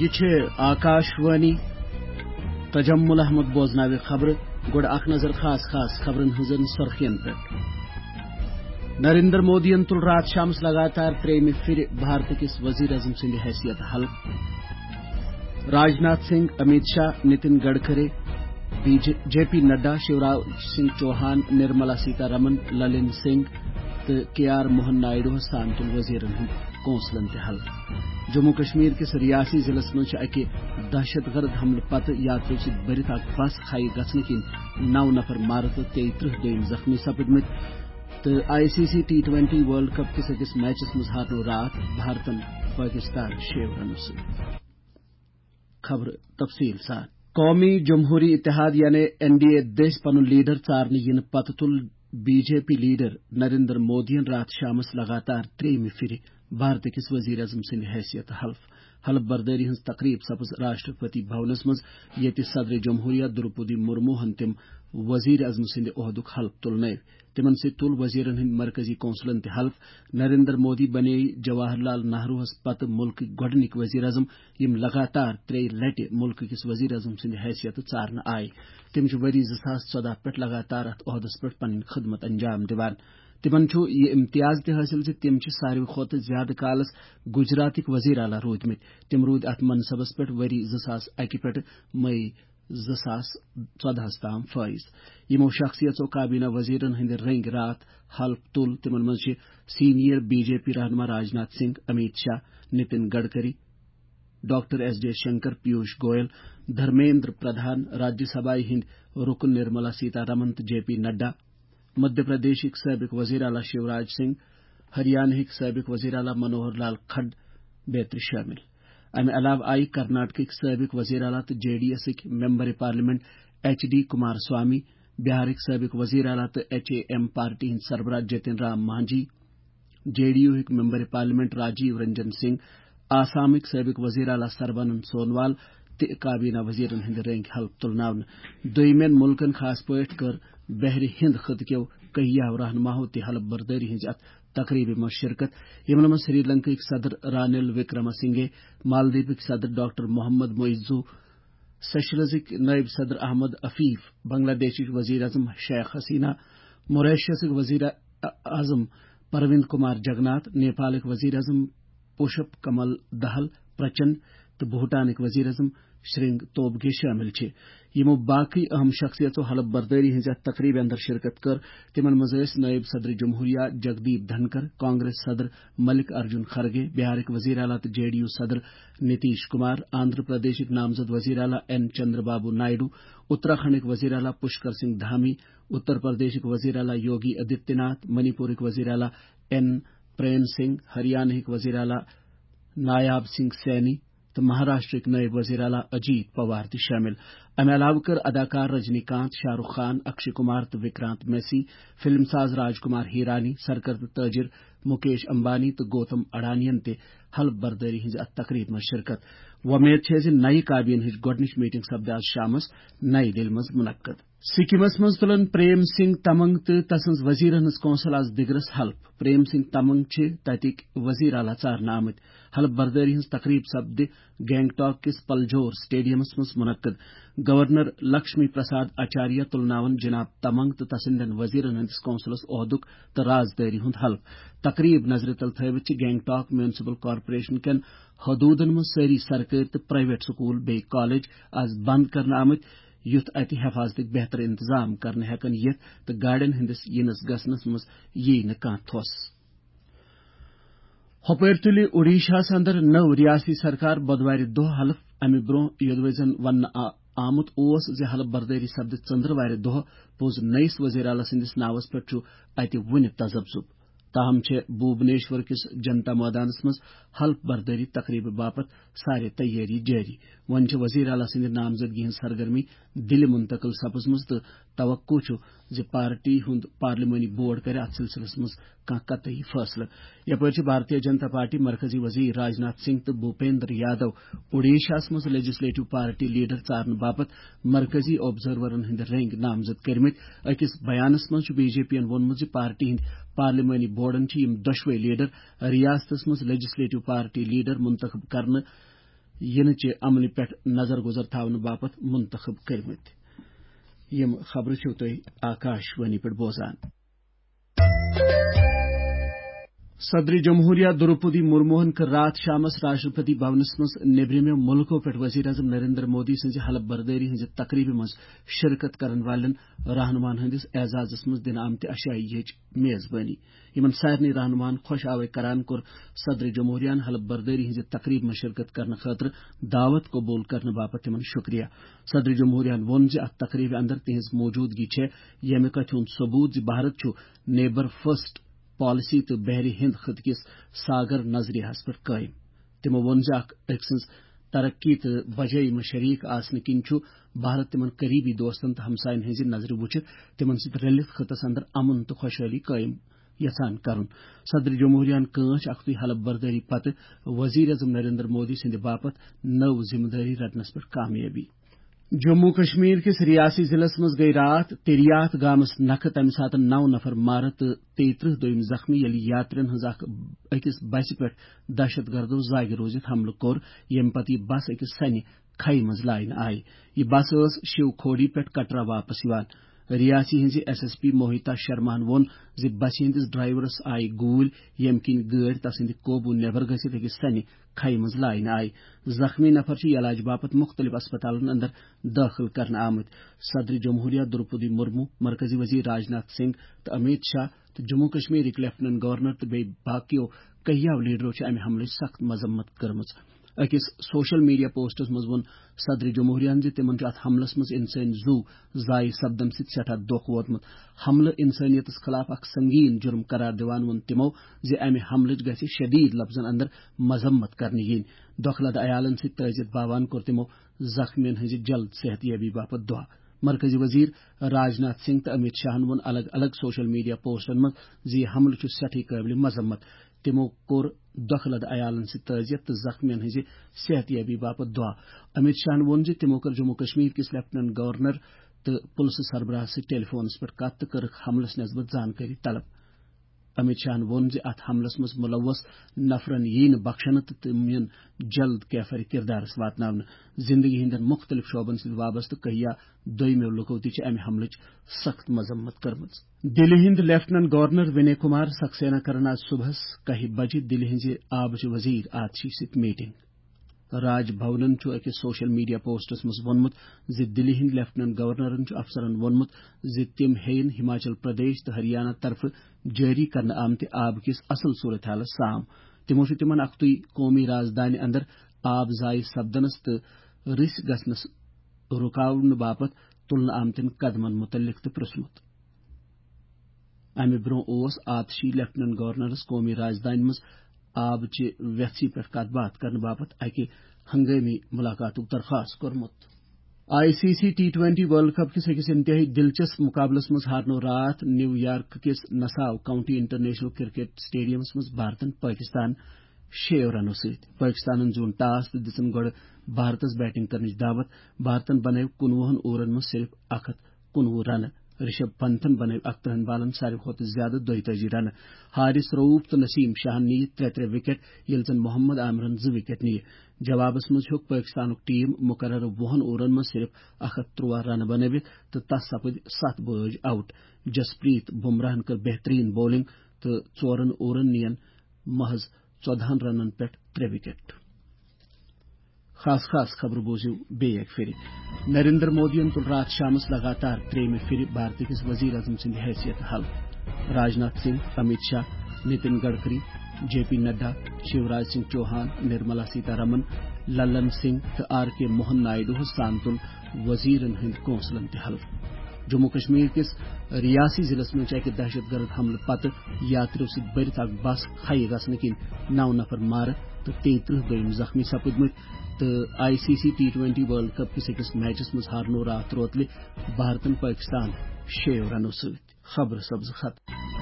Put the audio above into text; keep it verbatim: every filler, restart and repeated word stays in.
یہِ چھِ آکاشوانی۔ تجمل احمد بوزناوِ خبرٕ۔ گۄڈٕ اکھ نظر خاص خاص خبرن ہٕنٛزن سرخین پٮ۪ٹھ۔ نریندر مودیَن تُل راتھ شامس لگاتار ترٛیٚیِمہِ پھِرِ بھارت کِس وزیر اعظم سٕنٛدِ حیثیت حلف۔ Rajnath Singh, Amit Shah, Nitin Gadkari, B J, J P Nadda, Shivraj Singh Chouhan, Nirmala Sitharaman, Lalan Singh تہٕ کے آر موہن نائیڈوہس سان تُل وزیرن ہُنٛد کونسلن تہِ حلف۔ جموں کشمیر کِس ریاسی ضلعس منٛز چھِ اکہِ دہشت گرد حملہٕ پتہٕ یاتریو سۭتۍ بٔرِتھ اکھ بس کھیہِ گژھنہٕ کِنۍ نو نفر مارٕ تہٕ تیٚیہِ ترٕٛہ دوٚیِم زخمی سپٕدمٕتۍ۔ تہٕ I C C T twenty world cup کِس أکِس میچس منٛز ہارنوو راتھ بھارتن پٲکستان شیٚیو رنو سۭتۍ۔ خبرٕ تفصیٖل سان۔ قومی جمہوری اتحاد یعنی این ڈی اے دٔسۍ پنُن لیڈر ژارنہٕ یِنہٕ پتہٕ تُل B J P leader Narendra مودیَن راتھ شامس لگاتار ترٛیٚیِمہِ پھِرِ بھارت کِس وزیر اعظم سٕنٛدِ حیثیت حلف۔ حلف بردٲری ہٕنٛز تقریب سپٕز راشٹرپتی بھونس منٛز، ییٚتہِ صدر جمہوریہ دروپدی مرموہن تِم وزیر اعظم سٕنٛدِ عہدُک حلف تُلنٲوۍ۔ تِمن سۭتۍ تُل وزیرن ہٕنٛدۍ مرکزی کونسلن تہِ حلف۔ نریندر مودی بنے جواہر لال نہروہس پتہٕ ملکٕکۍ گۄڈٕنِکۍ وزیر اعظم، یِم لگاتار ترٛیٚیہِ لٹہِ ملکہٕ کِس وزیر اعظم سٕنٛدِ حیثیتہٕ ژارنہٕ آیہِ۔ تِم چھِ ؤری زٕ ساس ژۄداہ پٮ۪ٹھ لگاتار اتھ عہدس پٮ۪ٹھ پنٕنۍ خدمت انجام دِوان۔ تِمن چھُ یہِ امتیاز تہِ حٲصِل زِ تِم چھِ ساروی کھۄتہٕ زیادٕ کالس گجراتٕکۍ وزیر اعلیٰ روٗدمٕتۍ۔ تِم روٗدۍ اتھ منصبس پٮ۪ٹھ ؤری زٕ ساس اکہِ پٮ۪ٹھٕ مئی زٕ ساس ژۄدہَس تام فٲیض۔ یِمو شخصیژو کابینہ وزیرن ہٕنٛدِ رٔنگۍ راتھ حلف تُل۔ تِمن منٛز چھِ سینئر بی جے پی رہنما Rajnath Singh, Amit Shah, Nitin Gadkari, doctor S J Shankar, Piyush Goyal, Dharmendra Pradhan, Rajya سبھایہ ہٕنٛدۍ رُکُن نرملا سیتا رمن تہٕ جے پی نڈا، مدھیہ پردیشٕکۍ سٲبق وزیر اعلیٰ شیوراج سنگھ، ہریانہٕکۍ سٲبق وزیر اعلیٰ منوہر لال کھڈ بیترِ شٲمِل۔ امہِ علاوٕ آیہِ کرناٹکٕکۍ سٲبق وزیر اعلیٰ تہٕ جے ڈی ایسٕکۍ member parliament H D Kumaraswamy, بہارٕکۍ سٲبق وزیر اعلیٰ تہٕ ایچ اے ایم پارٹی ہٕنٛدۍ سربراہ جتن رام مانجھی، جے ڈی یوہٕکۍ ممبر پارلیمنٹ راجیو رنجن سنگھ، آسامٕکۍ سٲبق وزیر اعلیٰ سربانند سونوال تہِ کابینہ وزیرن ہٕنٛدِ رٔنگۍ حلف تُلناونہٕ۔ دوٚیمٮ۪ن مُلکن، خاص پٲٹھۍ کٔر بحرِ ہند خطہٕ کیو کیہو رہنماہو تہِ حلف بردٲری ہٕنٛزِ اتھ تقریبہِ منٛز شرکت، یِمن منٛز سری لنکٕکۍ صدر رانیل وکرما سنگھے، مالدیپٕکۍ صدر ڈاکٹر محمد معیزو، سیشلزٕکۍ نائب صدر احمد عفیف، بنگلہ دیشٕچ وزیر اعظم شیخ حسینہ، موریشیسٕکۍ وزیر اعظم پرویند کمار جگناتھ، نیپالٕکۍ وزیر اعظم پوشپ کمل دہل پرچنڈ تہٕ بھوٹانٕکۍ وزیر اعظم شرنگ توبگے شٲمِل چھِ۔ یِمو باقٕے اہم شخصیژو حلف بردٲری ہٕنٛزِ اَتھ تقریبہِ اندر شرکت کٔر۔ تِمن منٛز ٲسۍ نٲیِب صدر جمہوریہ جگدیپ دھنکر، کانگریس صدر ملک ارجن خرگے، بہارٕکۍ وزیر اعلیٰ تہٕ جے ڈی یو صدر نتیش کمار، آندھرا پردیشٕکۍ نامزد وزیر اعلیٰ این چندر بابو نائیڈو، اتراکھنڈٕکۍ وزیر اعلیٰ پشکر سنگھ دھامی، اتر پردیشٕکۍ وزیر اعلیٰ یوگی آدتیہ ناتھ، منی پورٕکۍ وزیر اعلیٰ این پرین سنگھ، ہریانہٕکۍ وزیر اعلیٰ نایاب سنگھ سینی، تہٕ مہاراشٹرٕکۍ نٲیِب وزیر اعلیٰ اجیت پوار تہِ شٲمِل۔ امہِ علاوٕ کٔر اداکار رجنی کانت، شاہ رخ خان، اکشے کمار تہٕ وکرانت میسی، فلم ساز راج کمار ہیرانی، سرکردٕ تاجر مکیش امبانی تہٕ گوتم اڈانین تہِ حلف بردٲری ہٕنٛزِ اتھ تقریبہِ منٛز شرکت۔ وۄمید چھےٚ زِ نَیہِ کابینہِ ہٕنٛز گۄڈٕنِچ میٹنگ سپدِ آز شامس نَیہِ دِلہِ منٛز منعقد۔ سکمس منٛز تُلن پریم سنگھ تمنگ تہٕ تسٕنٛز وزیرن ہٕنٛز کونسل آز دِگرس حلف۔ پریم سنگھ تمنگ چھِ تتِکۍ وزیر اعلیٰ ژارنہٕ آمٕتۍ۔ حلف بردٲری ہٕنٛز تقریب سپدِ گینگٹاک کِس پلجور سٹیڈیمس منٛز منعقد۔ گورنر لکشمی پرساد آچاریہ تُلناون جناب تمنگ تہٕ تسٕنٛدٮ۪ن وزیرن ہٕنٛدِس کونسلس عہدُک تہٕ رازدٲری ہُنٛد حلف۔ تقریب نظرِ تل تھٲوِتھ چھِ گینگٹاک میونسپل کارپوریشن کٮ۪ن حدوٗدن منٛز سٲری سرکٲرۍ تہٕ پرائیویٹ سکول بیٚیہِ کالج آز بند کرنہٕ آمٕتۍ، یُتھ اتہِ حفاظتٕکۍ بہتر انتظام کرنہٕ ہٮ۪کن یِتھ تہٕ گاڑٮ۪ن ہٕنٛدِس یِنس گژھنس منٛز ییہِ نہٕ کانٛہہ تھوٚس۔ ہۄپٲرۍ تُلہِ اوڈیشاہس اندر نٔو ریاستی سرکار بدوارِ دۄہ حلف۔ امہِ برونٛہہ، یوٚدوے زن وننہٕ آ-، آمُت اوس زِ حلف بردٲری سپدِ ژٔندروارِ دۄہ، پوٚز نٔیِس وزیر اعلیٰ سٕنٛدِس ناوس پٮ۪ٹھ چھُ اتہِ وُنہِ تذبذب۔ تاہم چھےٚ بھوبنیشور کِس جنتا مٲدانس منٛز حلف بردٲری تقریبہٕ باپتھ سارے تیٲری جٲری۔ وۄنۍ چھِ وزیر اعلیٰ سٕنٛدِ نامزدگی ہٕنٛز سرگرمی دِلہِ منتقل سپٕزمٕژ تہٕ توقع چھُ زِ پارٹی ہُنٛد پارلیمانی بورڈ کرِ اتھ سلسلس منٛز کانٛہہ قطعی فٲصلہٕ۔ یپٲرۍ چھِ بھارتیہ جنتا پارٹی مرکزی وزیر راجناتھ سنگھ تہٕ بھوپیندر یادو اوڈیشاہس منٛز لیجسلیٹو پارٹی لیڈر ژارنہٕ باپتھ مرکزی آبزرورن ہٕنٛدۍ رٔنگۍ نامزد کٔرمٕتۍ۔ أکِس بیانس منٛز چھُ بی جے پی ین ووٚنمُت زِ پارٹی ہٕنٛدۍ پارلیمانی بورڈن چھِ یِم دۄشوے لیڈر ریاستس منٛز لیجسلیٹو پارٹی لیڈر منتخب کرنہٕ یِنہٕ چہِ عملہِ پٮ۪ٹھ نظر گُزر تھاونہٕ باپتھ منتخب کٔرمٕتۍ۔ یِم خبرٕ چھِو تُہۍ آکاش وانی پٮ۪ٹھ بوزان۔ صدر جمہوریہ دروپدی مرموہن کٔر راتھ شامس راشٹرپتی بھونس منٛز نیبرِمٮ۪و مُلکو پٮ۪ٹھ وزیر اعظم نریندر مودی سٕنٛزِ حلف بردٲری ہٕنٛزِ تقریبہِ منٛز شرکت کرن والٮ۪ن رہنماہن ہٕنٛدِس اعزازس منٛز دِنہٕ آمتہِ عشائیہٕچ میزبٲنی۔ یِمن سارنٕے رہنماہن خۄش آوے کران کوٚر صدر جمہوریہن حلف بردٲری ہٕنٛزِ تقریبہِ منٛز شرکت کرنہٕ خٲطرٕ دعوت قبول کرنہٕ باپتھ تِمن شُکریہ۔ صدر جمہوریہن ووٚن زِ اتھ تقریبہِ اندر تِہنٛز موجودگی چھےٚ ییٚمہِ کتھِ ہُنٛد ثبوت زِ بھارت چھُ نیبر فرسٹ پالیسی تہٕ بحرِ ہند خطہٕ کِس ساگر نظریہس پٮ۪ٹھ قٲیِم۔ تِمو ووٚن زِ اکھ أکۍ سٕنٛز ترقی تہٕ بجٲیی منٛز شریک آسنہٕ کِنۍ چھُ بھارت تِمن قریبی دوستن تہٕ ہمساین ہٕنٛزِ نظرِ وُچھِتھ تِمن سۭتۍ رٔلِتھ خطس اندر امن تہٕ خۄشحٲلی قٲیِم یژھان کرُن۔ صدر جمہوریہن کٲنٛچ اکھتُے حلف بردٲری پتہٕ وزیر اعظم نریندر مودی سٕنٛدِ باپتھ نٔو ذمہٕ دٲری رٹنس پٮ۪ٹھ کامیٲبی۔ جموں کشمیر کِس ریاسی ضلعس منٛز گٔیہِ راتھ تیریاتھ گامس نکھٕ تمہِ ساتہٕ نو نفر مارٕ تہٕ تیٚیہِ ترٕٛہ دوٚیِم زخمی، ییٚلہِ یاترین ہٕنٛز اکھ أکِس بسہِ پٮ۪ٹھ دہشت گردو زاگہِ روٗزِتھ حملہٕ کوٚر، ییٚمہِ پتہٕ یہِ بس أکِس سنہِ کھیہِ منٛز لاینہٕ آیہِ۔ یہِ بس ٲس شیو کھوڑی پٮ۪ٹھ کٹرا واپس یِوان۔ ریاسی ہٕنٛزِ ایس ایس پی موہتا شرماہن ووٚن زِ بسہِ ہٕنٛدِس ڈرائیورس آیہِ گوٗلۍ، ییٚمہِ کِنۍ گٲڑۍ تسٕنٛدِ قوبوٗ نٮ۪بر گٔژھِتھ أکِس سنہِ کھیہِ منٛز لاینہٕ آیہِ۔ زخمی نفر چھِ علاج باپتھ مُختٔلِف اسپتالن اندر دٲخل کرنہٕ آمٕتۍ۔ صدر جمہوریہ دروپدی مرمو، مرکزی وزیر راجناتھ سنگھ تہٕ امیت شاہ تہٕ جموں کشمیرٕکۍ لیفٹیننٹ گورنر تہٕ بیٚیہِ باقیو کیہو لیڈرو چھِ امہِ حملٕچ سخت مذمت کٔرمٕژ۔ أکِس سوشل میڈیا پوسٹس منٛز ووٚن صدر جمہوریہن زِ تِمن چھُ اتھ حملس منٛز انسٲنی زُو ضایع سپدن سۭتۍ سٮ۪ٹھاہ دۄکھ ووتمُت۔ حملہٕ انسٲنیتس خلاف اکھ سنگین جرم قرار دِوان ووٚن تِمو زِ امہِ حملٕچ گژھِ شدید لفظن اندر مذمت کرنہٕ یِنۍ۔ دۄکھٕ لدٕ عیالن سۭتۍ تعزیت باوان کوٚر تِمو زخمیَن ہٕنٛزِ جلد صحت یابی باپتھ دعا۔ مرکزی وزیر راجناتھ سنگھ تہٕ امیت شاہن ووٚن الگ الگ سوشل میڈیا پوسٹن منٛز زِ یہِ حملہٕ چھُ سٮ۪ٹھٕے قٲبلِ مذمت۔ تِمو کوٚر دۄکھٕ لدٕ عیالن سۭتۍ تعزیت تہٕ زخمیَن ہٕنٛزِ صحت یابی باپتھ دعا۔ امیت شاہن ووٚن زِ تِمو کٔر جموں کشمیر کِس لیفٹیننٹ گورنر تہٕ پُلسہٕ سربراہس سۭتۍ ٹیلی فونس پٮ۪ٹھ کتھ تہٕ کٔرٕکھ حملس نسبت زانکٲری طلب۔ امیت شاہن ووٚن زِ اتھ حملس منٛز ملوث نفرن ییہِ نہٕ بخشنہٕ تہٕ تِم یِن جلد کیفر کردارس واتناونہٕ۔ زندگی ہٕنٛدٮ۪ن مُختٔلِف شعبن سۭتۍ وابستہٕ کہیا دویمیو لُکو تہِ چھِ امہِ حملٕچ سخت مذمت کٔرمٕژ۔ دِلہِ ہٕنٛدۍ لیفٹیننٹ گورنر وِنے کُمار سکسینا کرن آز صبحس کاہہِ بجہِ دِلہِ ہٕنٛزِ آبٕچ وزیر آتشی سۭتۍ میٹنگ۔ راج بھونن چھُ أکِس سوشل میڈیا پوسٹس منٛز ووٚنمُت زِ دِلہِ ہٕنٛدۍ لیفٹیننٹ گورنرن چھُ افسرن ووٚنمُت زِ تِم ہیٚیِن ہماچل پردیش تہٕ ہریانہ طرفہٕ جٲری کرنہٕ آمتہِ آب کِس اصل صورتحالس سام۔ تِمو چھُ تِمن اکھتُے قومی رازدانہِ اندر آب ضایع سپدنس تہٕ رٕسۍ گژھنس رُکاونہٕ باپتھ تُلنہٕ آمتٮ۪ن قدمن مُتعلق تہِ پرٛژھمُت۔ امہِ برٛونٛہہ اوس آتشی لیفٹیننٹ گورنرس قومی رازدانہِ منٛز آبچہِ ویژھِ پٮ۪ٹھ کتھ باتھ کرنہٕ باپتھ اکہِ ہنگٲمی ملاقاتُک درخواست کوٚرمُت۔ I C C T twenty world cup کِس أکِس انتہٲئی دلچسپ مقابلس منٛز ہارنوو راتھ نیو یارک کِس نساو کاؤنٹی انٹرنیشنل کرکٹ اسٹیڈیمس منٛز بھارتن پٲکستان شیٚیو رنو سۭتۍ۔ پٲکستانن زیوٗن ٹاس تہٕ دِژٕن گۄڈٕ بھارتس بیٹنگ کرنٕچ دعوت۔ بھارتن بنٲوۍ کُنوُہن اوورن منٛز صرف اکھ ہتھ کُنوُہ رنہٕ۔ رشب پنتھن بنٲوۍ اکترٕہن بالن ساروی کھۄتہٕ زیادٕ دۄیتٲجی رنہٕ۔ حارث رؤف تہٕ نسیم شاہن نِیہِ ترٛےٚ ترٛےٚ وکٹ، ییٚلہِ زن محمد عامرن زٕ وکٹ نِیہِ۔ جوابس منٛز ہیوٚک پٲکستانُک ٹیم مقررٕ وُہن اوورن منٛز صرف اکھ ہتھ ترٛوہ رنہٕ بنٲوِتھ تہٕ تس سپٕدۍ ستھ بٲج آؤٹ۔ جسپریت بمراہن کٔر بہترین بولنگ تہٕ ژورن اوورن نِین محض ژۄدہن رنن پٮ۪ٹھ ترٛےٚ وکٹ۔ خاص خاص خبرٕ بوٗزِو بیٚیہِ اَکہِ پھِرِ۔ نریندر مودیَن تُل راتھ شامَس لگاتار ترٛیٚیِمہِ پھِرِ بھارتہٕ کِس وزیر اعظم سٕنٛدِ حیثیت حلف۔ راجناتھ سنگھ، امیت شاہ، نتن گڈکری، جے پی نڈا، شیوراج سنگھ چوہان، نرملا سیتارمن، للن سنگھ تہٕ آر کے موہن نائیڈوہَس سان تُل وزیرن ہٕنٛدۍ کونسلن تہِ حلف۔ جموں کشمیر کِس ریاسی ضلعس منٛز چھِ اَکہِ دہشت گرد حملہٕ پتہٕ یاتریو سۭتۍ بٔرِتھ اکھ بس کھیہِ گژھنہٕ کِنۍ نو نفر مارٕ تہٕ تیٚیہِ ترٕٛہ دوٚیِم زخمی سپٕدمٕتۍ تہٕ I C C T twenty world cup کِس أکِس میچس منٛز ہارنوو راتھ روتلہِ بھارتن پٲکستان شیٚیو رنو سۭتۍ۔ خبرٕ سبزٕ ختم۔